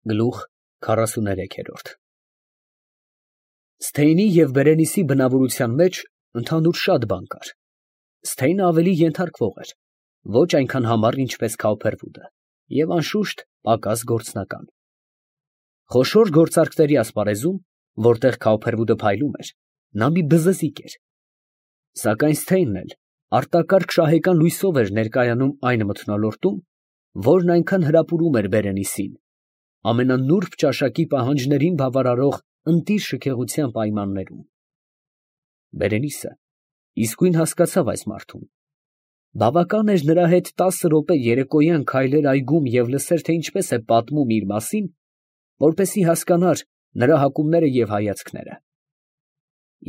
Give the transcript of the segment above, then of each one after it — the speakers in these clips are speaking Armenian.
Գլուխ 43 Սթեյնի և Բերենիսի բնավորության մեջ ընդհանուր շատ բան կար. Սթեյնը ավելի ենթարկվող էր, ոչ այնքան համառ, ինչպես Քաուփերվուդը, և անշուշտ պակաս գործնական։ Խոշոր գործարքների ասպարեզում, որտեղ Քաուփերվուդը փայլում էր, նա մի բզզիկ էր, սակայն Սթեյնն էլ արտակարգ շահեկան լույսով էր ներկայանում այն մթնոլորտում, որն այնքան հրապուրում էր Բերենիսին, ամենանուրբ ճաշակի պահանջներին բավարարող ընտիր շքեղության պայմաններում։ Բերենիսը իսկույն հասկացավ այս մարդուն. բավական էր նրա հետ 10 րոպե երեկոյան քայլել այգում և լսեր, թե ինչպես է պատմում իր մասին, որպեսզի հասկանար նրա հակումները և հայացքները։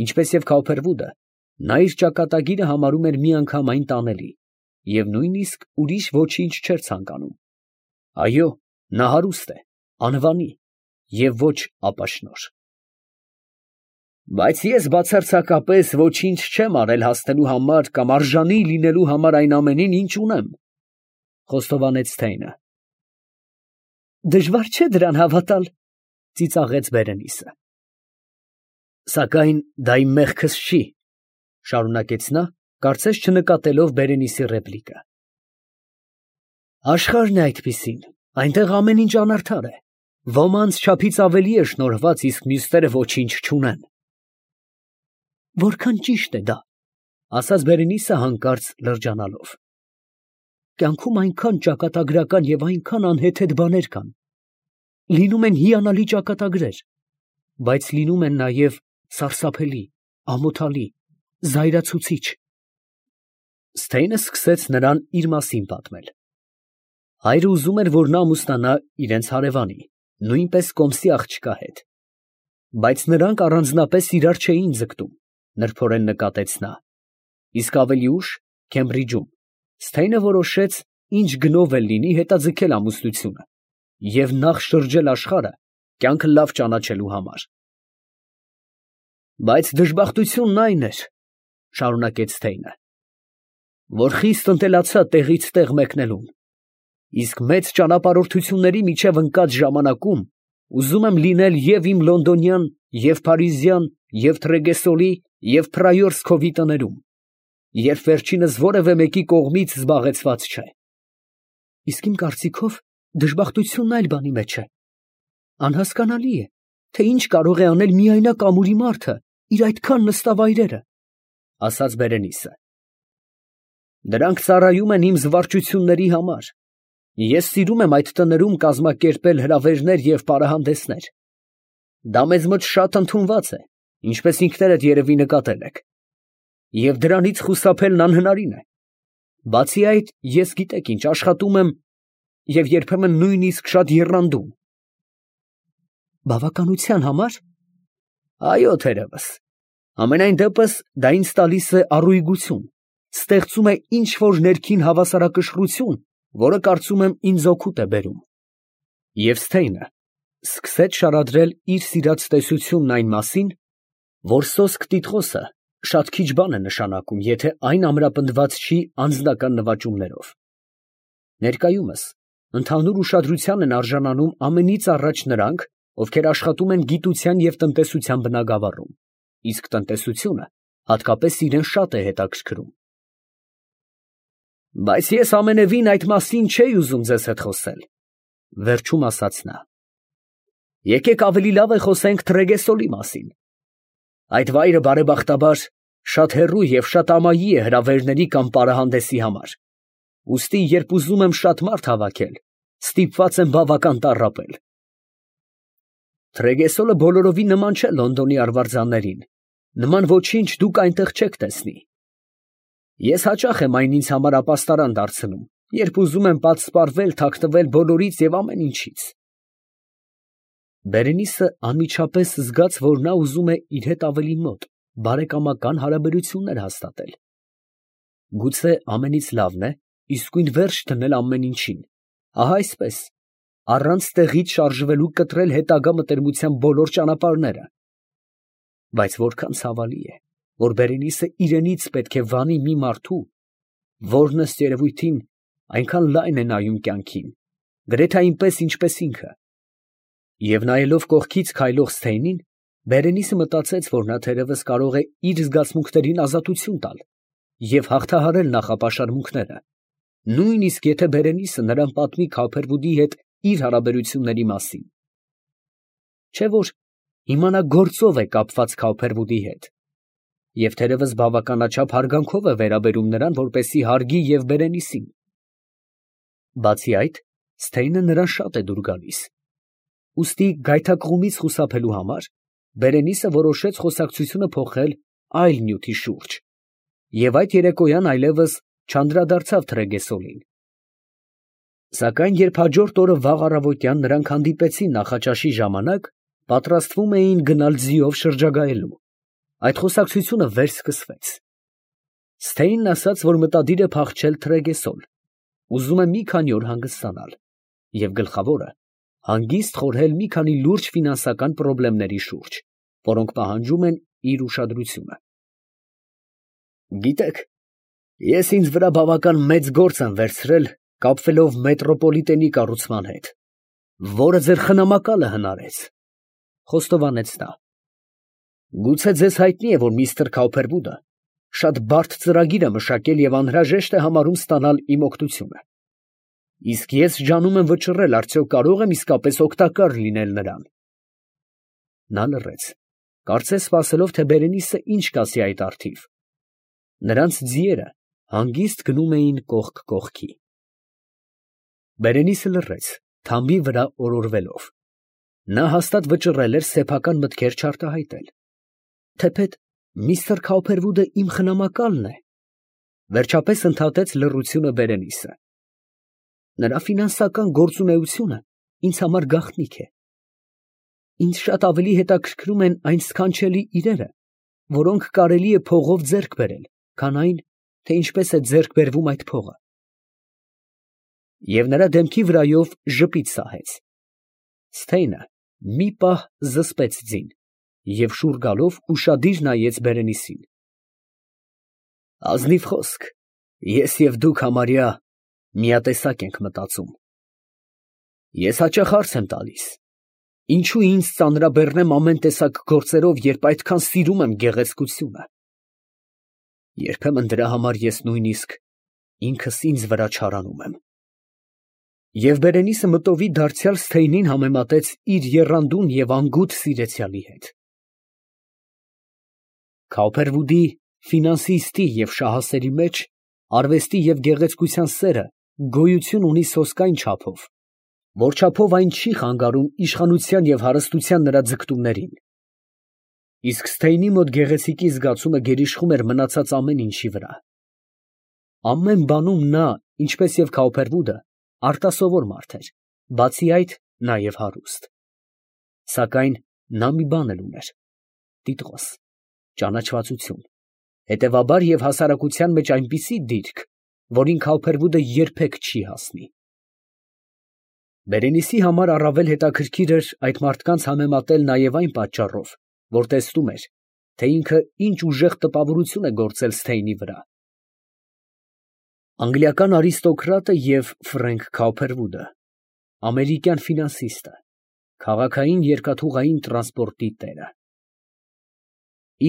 Ինչպես և Քաուփերվուդը, նա իր ճակատագիրը համարում էր միանգամայն տանելի և նույնիսկ ուրիշ ոչինչ չէր ցանկանում։ Այո, նա հարուստ է, անվանի և ոչ ապաշնորհ։ Բայց ես բացարձակապես ոչինչ չեմ արել հասնելու համար կամ արժանի լինելու համար այն ամենին, ինչ ունեմ, ֊ խոստովանեց Սթեյնը։ Դժվար չէ դրան հավատալ, ֊ ծիծաղեց Բերենիսը։ Սակայն դա իմ մեղքս չի, ֊ շարունակեց նա, կարծես չնկատելով Բերենիսի ռեպլիկը։ Աշխարհն է այդպիսին, այնտեղ ամեն ինչ անարդար է, ոմանց չափից ավելի է շնորհված, իսկ մյուսները ոչինչ չունեն։ Որքան ճիշտ է դա, ֊ ասաց Բերենիսը հանկարծ լրջանալով։ Կյանքում այնքան ճակատագրական և այնքան անհեթեթ բաներ կան, լինում են հիանալի ճակատագրեր, բայց լինում են նաև սարսափելի, ամոթալի, զայրացուցիչ։ Սթեյնը սկսեց նրան իր մասին պատմել։ Հայրը ուզում էր, որ նա ամուսնանա իրենց հարևանի, նույնպես կոմսի աղջկա հետ, բայց նրանք առանձնապես իրար չէին ձգտում, նրբորեն նկատեց նա, իսկ ավելի ուշ Քեմբրիջում Սթեյնը որոշեց ինչ գնով էլ լինի հետաձգել ամուսնությունը և նախ շրջել աշխարհը կյանքը լավ ճանաչելու համար։ Բայց դժբախտությունն այն էր, ֊ շարունակեց Սթեյնը, որ խիստ ընտելացա տեղից տեղ մեկնելուն, իսկ մեծ ճանապարհորդությունների միջև ընկած ժամանակում ուզում եմ լինել և իմ լոնդոնյան, և փարիզյան, և Թրեգեսոլի, և Փրայորսկովի տներում, երբ վերջինս որևէ մեկի կողմից զբաղեցված չէ։ Իսկ իմ կարծիքով դժբախտությունն այլ բանի մեջ է։ Անհասկանալի է, թե ինչ կարող է անել միայնակ ամուրի մարդը իր այդքան նստավ այրերը, ֊ ասաց Բերենիսը։ Դրանք ծառայում են իմ զվարճությունների համար։ Ես սիրում եմ այդ տներում կազմակերպել հրավերներ և պարահանդեսներ։ Դա մեզ մոտ շատ ընդունված է, ինչպես ինքներդ երևի նկատել եք, և դրանից խուսափելն անհնարին է։ Բացի այդ, ես գիտեք ինչ, աշխատում եմ և երբեմն նույնիսկ շատ եռանդում։ Բավականության համար։ Այո, թերևս։ Համենայն դեպս դա ինձ տալիս է առույգություն, ստեղծում է ինչ֊որ ներքին հավասարակշռություն, որը կարծում եմ ինձ օգուտ է բերում։ Եվ Սթեյնը սկսեց շարադրել իր սիրած տեսությունն այն մասին, որ սոսկ տիտղոսը շատ քիչ բան է նշանակում, եթե այն ամրապնդված չի անձնական նվաճումներով։ Ներկայումս ընդհանուր ուշադրության են արժանանում ամենից առաջ նրանք, ովքեր աշխատում են գիտության և տնտեսության բնագավառում, իսկ տնտեսությունը հատկապես իրեն շատ է հետաքրքրում։ Բայց ես ամենևին այդ մասին չէի ուզում ձեզ հետ խոսել, ֊ վերջում ասաց նա։ Եկեք ավելի լավ է խոսենք Թրեգեսոլի մասին։ Այդ վայրը բարեբախտաբար շատ հեռու և շատ ամայի է հրավերների կամ պարահանդեսի համար, ուստի երբ ուզում եմ շատ մարդ հավաքել, ստիպված եմ բավական տառապել։ Թրեգեսոլը բոլորովին նման չէ Լոնդոնի արվարձաններին, նման ոչինչ դուք այնտեղ չեք տեսնի։ Ես հաճախ եմ այն ինձ համար ապաստարան դարձնում, երբ ուզում եմ պատսպարվել, թաքնվել բոլորից և ամեն ինչից։ Բերենիսը անմիջապես զգաց, որ նա ուզում է իր հետ ավելի մոտ, բարեկամական հարաբերություններ հաստատել։ Գուցե ամենից լավն է իսկույն վերջ դնել ամեն ինչին, ահա այսպես, առանց տեղից շարժվելու կտրել հետագա մտերմության բոլոր ճանապարհները։ Բայց որքան ցավալի է, որ Բերենիսը իրենից պետք է վանի մի մարդու, որն ըստ երևույթին այնքան լայն է նայում կյանքին, գրեթե այնպես, ինչպես ինքը, Եվ նայելով կողքից քայլող Սթեյնին, Բերենիսը մտածեց, որ նա թերևս կարող է իր զգացմունքներին ազատություն տալ և հաղթահարել նախապաշարմունքները, նույնիսկ եթե Բերենիսը նրան պատմի Քավփերվուդի հետ իր հարաբերությունների մասին։ Չէ՞ որ հիմա նա գործով է կապված Քավփերվուդի հետ, և թերևս բավականաչափ հարգանքով է վերաբերում նրան, որպեսզի հարգի և Բերենիսին։ Բացի այդ, Սթեյնը նրան շատ է դուր գալիս։ Ուստի գայթակղումից խուսափելու համար Բերենիսը որոշեց խոսակցությունը փոխել այլ նյութի շուրջ, և այդ երեկոյան այլևս չանդրադարձավ Թրեգեսոլին։ Սակայն երբ հաջորդ օրը վաղ առավոտյան նրանք հանդիպեցին նախաճաշի ժամանակ, պատրաստվում էին գնալ ձիով շրջագայելու, այդ խոսակցությունը վերսկսվեց։ Սթեյնն ասաց, որ մտադիր է փախչել Թրեգեսոլ, ուզում է մի քանի օր հանգստանալ, և գլխավորը, հանգիստ խորհել մի քանի լուրջ ֆինանսական պրոբլեմների շուրջ, որոնք պահանջում են իր ուշադրությունը։ Գիտեք, ես ինձ վրա բավական մեծ գործ եմ վերցրել կապվելով մետրոպոլիտենի կառուցման հետ, որը ձեր խնամակալը հնարեց, ֊ խոստովանեց նա։ Գուցե ձեզ հայտնի է, որ միստր Քավփերվուդը շատ բարդ ծրագիր է մշակել և անհրաժեշտ է համարում ստանալ իմ օգնությունը։ Իսկ ես ջանում եմ վճռել, արդյոք կարող եմ իսկապես օգտակար լինել նրան։ Նա լռեց, կարծես սպասելով, թե Բերենիսը ինչ կասի այդ առթիվ։ Նրանց ձիերը հանգիստ գնում էին կողք կողքի։ Բերենիսը լռեց, թամբի վրա օրորվելով։ Նա հաստատ վճռել էր սեփական մտքեր չարտահայտել։ Թեպետ միստր Քավփերվուդը իմ խնամակալն է, վերջապես ընդհատեց լռությունը Բերենիսը։ Նրա ֆինանսական գործունեությունը ինձ համար գաղտնիք է։ Ինձ շատ ավելի հետաքրքրում են այն սքանչելի իրերը, որոնք կարելի է փողով ձեռք բերել, քան այն, թե ինչպես է ձեռք բերվում այդ փողը։ Եվ նրա դեմքի վրայով ժպիտ սահեց։ Սթեյնը մի պահ զսպեց ձին և շուռ գալով ուշադիր նայեց Բերենիսին։ Ազնիվ խոսք, ես և դուք համարյա միատեսակ ենք մտածում։ Ես հաճախ հարց եմ տալիս. ինչու ինձ ծանրաբեռնեմ ամեն տեսակ գործերով, երբ այդքան սիրում եմ գեղեցկությունը։ Երբեմն դրա համար ես նույնիսկ ինքս ինձ վրա չարանում եմ։ Եվ Բերենիսը մտովի դարձյալ Սթեյնին համեմատեց իր եռանդուն և անգութ սիրեցյալի հետ։ Քավփերվուդի ֆինանսիստի և շահասերի մեջ արվեստի և գեղեցկության սերը գոյություն ունի սոսկայն չափով, որ չափով այն չի խանգարում իշխանության և հարստության նրա ձգտումներին։ Իսկ Սթեյնի մոտ գեղեցիկի զգացումը գերիշխում էր մնացած ամեն ինչի վրա։ Ամեն բանում նա, ինչպես և Քավփերվուդը, արտասովոր մարդ էր, բացի այդ նաև հարուստ։ Սակայն նա մի բան էլ ուներ՝ տիտղոս, ճանաչվածություն, հետևաբար և հասարակության մեջ այնպիսի դիրք, որին Քավփերվուդը երբեք չի հասնի։ Բերենիսի համար առավել հետաքրքիր էր այդ մարդկանց համեմատել նաև այն պատճառով, որ տեսնում էր, թե ինքը ինչ ուժեղ տպավորություն է գործել Սթեյնի վրա։ Անգլիական արիստոկրատը և Ֆրենկ Քավփերվուդը, ամերիկյան ֆինանսիստը, քաղաքային երկաթուղային տրանսպորտի տերը։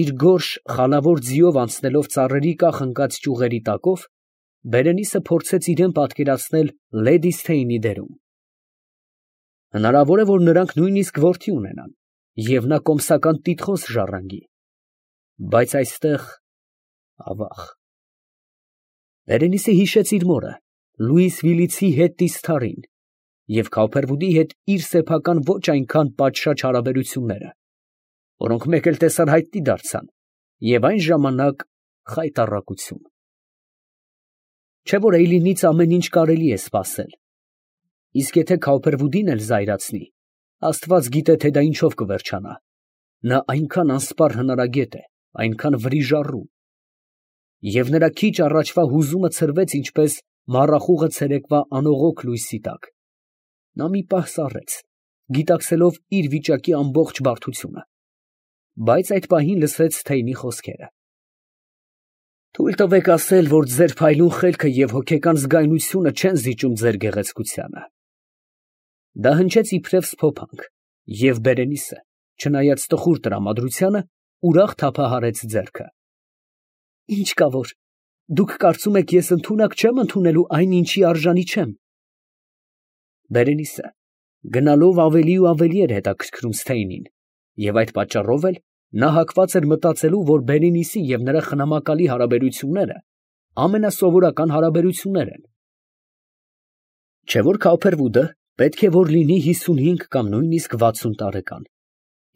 Իր գորշ, խալավոր ձիով անցնելով ծառերի կախ ընկած ճյուղերի տակով, Բերենիսը փորձեց իրան պատկերացնել լեդի Սթեյնի դերում։ Հնարավոր է, որ նրանք նույնիսկ որդի ունենան, և նա կոմսական տիտղոս ժառանգի, բայց այստեղ ավաղ։ Բերենիսը հիշեց իր մորը, Լուիս Վիլիցի հետտիստարին և Քավփերվուդի հետ իր սեփական ոչ այնքան պատշաճ հարաբերությունները, որոնք մեկ էլ տեսար հայտնի դարձան, և այն ժամանակ խայտառակություն։ Չէ՞ որ Էյլինից ամեն ինչ կարելի է սպասել, իսկ եթե Քավփերվուդին էլ զայրացնի, Աստված գիտե, թե դա ինչով կվերջանա։ Նա այնքան անսպառ հնարագետ է, այնքան վրիժառու։ Եվ նրա քիչ առաջվա հուզումը ցրվեց, ինչպես մառախուղը ցերեկվա անողոք լույսի տակ։ Նա մի պահ սառեց, գիտակցելով իր վիճակի ամբողջ բարդությունը, բայց այդ պահին լսեց Սթեյնի խոսքերը. Թույլ տվեք ասել, որ ձեր փայլուն խելքը և հոգեկան զգայունությունը չեն զիջում ձեր գեղեցկությանը։ Դա հնչեց իբրև սփոփանք, Եվ Բերենիսը, չնայած տխուր տրամադրությանը, ուրախ թափահարեց ձեռքը։ Ինչ կա որ, դուք կարծում եք ես ընդունակ չեմ ընդունելու այն, ինչի արժանի չեմ։ Բերենիսը գնալով ավելի ու ավելի էր հետաքրքրում Սթեյնին, և այդ պատճառով էլ նա հակված էր մտածելու, որ Բերենիսի և նրա խնամակալի հարաբերությունները ամենասովորական հարաբերություններ են։ Չէ որ Քոփերվուդը պետք է որ լինի 55 կամ նույնիսկ 60 տարեկան,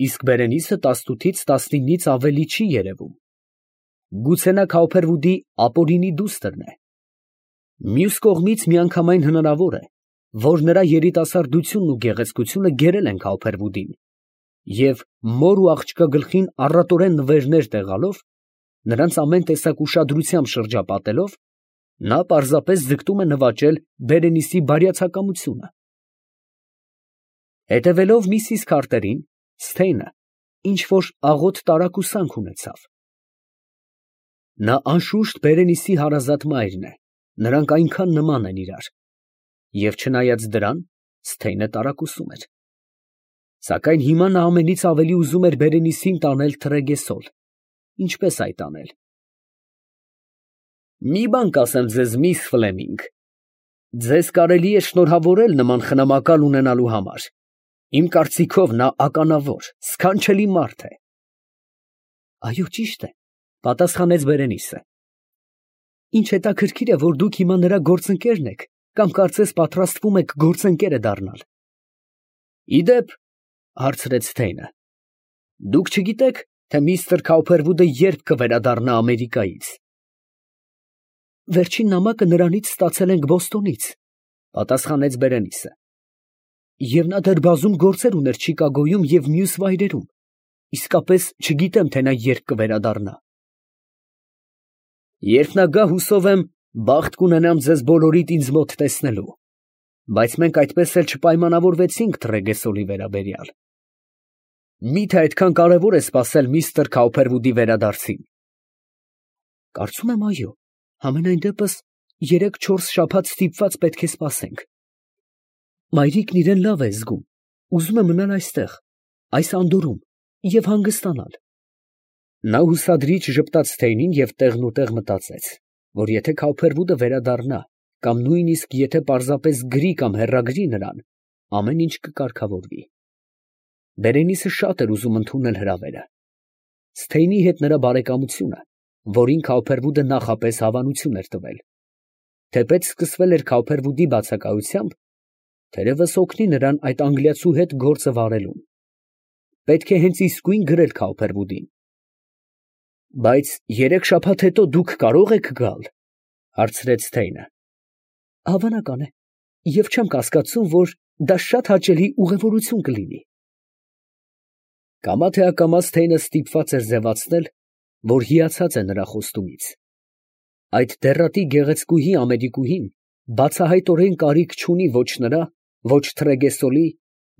իսկ Բերենիսը 18-ից 19-ից ավելի չի երևում։ Գուցե նա Քոփերվուդի ապօրինի դուստրն է։ Մյուս կողմից միանգամայն հնարավոր է, որ նրա երիտասարդությունն ու գեղեցկությունը գերել են Քոփերվուդին, և մոր ու աղջկա գլխին առատորեն նվերներ տեղալով, նրանց ամեն տեսակ ուշադրությամբ շրջապատելով, նա պարզապես ձգտում է նվաճել Բերենիսի բարյացակամությունը։ Հետևելով միսիս Քարտերին, Սթեյնը ինչ֊որ աղոտ տարակուսանք ունեցավ։ Նա անշուշտ Բերենիսի հարազատ մայրն է, նրանք այնքան նման են իրար, և չնայած դրան, Սթեյնը տարակուսում էր։ Սակայն հիմա նա ամենից ավելի ուզում էր Բերենիսին տանել Թրեգեսոլ։ Ինչպես այդ անել։ Մի բան կասեմ ձեզ, միս Ֆլեմինգ, ձեզ կարելի է շնորհավորել նման խնամակալ ունենալու համար։ Իմ կարծիքով նա ականավոր, սքանչելի մարդ է։ Այո, ճիշտ է, պատասխանեց Բերենիսը։ Ինչ հետաքրքիր է, որ դուք հիմա նրա գործընկերն եք, կամ կարծես պատրաստվում եք գործընկերը դառնալ։ Իդեպ, հարցրեց Սթեյնը, դուք չգիտեք, թե միստր Քոփերվուդը երբ կվերադառնա Ամերիկայից։ Վերջին նամակը նրանից ստացել ենք Բոստոնից, պատասխանեց Բերենիսը։ Եվ նա դեռ բազում գործեր ուներ Չիկագոյում և մյուս վայրերում, իսկապես չգիտեմ, թե նա երբ կվերադառնա։ Երբ նա գա, հուսով եմ, բախտ կունենամ ձեզ բոլորիդ ինձ մոտ տեսնելու, բայց մենք այդպես էլ չպայմանավորվեցինք Թրեգեսոլի վերաբերյալ։ Մի՞թե այդքան կարևոր է սպասել միստր Քոփերվուդի վերադարձին։ Կարծում եմ, այո, համենայն դեպս 3-4 շաբաթ ստիպված պետք է սպասենք։ Մայրիկն իրեն լավ է զգում, ուզում է մնալ այստեղ, այս անդորրում և հանգստանալ։ Նա հուսադրիչ ժպտաց Սթեյնին և տեղնուտեղ մտածեց, որ եթե Քոփերվուդը վերադառնա, կամ նույնիսկ եթե պարզապես գրի կամ հեռագրի նրան, ամեն ինչ կկարգավորվի։ Բերենիսը շատ էր ուզում ընդունել հրավերը։ Սթեյնի հետ նրա բարեկամությունը, որին Քոփերվուդը նախապես հավանություն էր տվել, թեպետ սկսվել էր Քոփերվուդի բացակայությամբ, թերևս օգնի նրան այդ անգլիացու հետ գործը վարելուն։ Պետք է հենց իսկույն գրել Քոփերվուդին։ Բայց 3 շաբաթ հետո դուք կարո՞ղ եք գալ, հարցրեց Սթեյնը։ Հավանական է, և չեմ կասկածում, որ դա շատ հաճելի ուղևորություն կլինի։ Կամա թե ակամա Սթեյնը ստիպված էր ձևացնել, որ հիացած է նրա խոստումից։ Այդ դեռատի գեղեցկուհի ամերիկուհին բացահայտորեն կարիք չունի ոչ նրա, ոչ Թրեգեսոլի,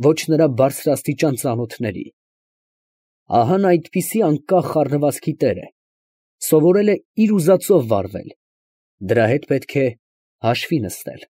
ոչ նրա բարձրաստիճան ծանոթների։ Ահա նա այդպիսի անկախ խառնվածքի տեր է, սովորել է իր ուզածով վարվել, դրա հետ պետք է հաշվի նստել։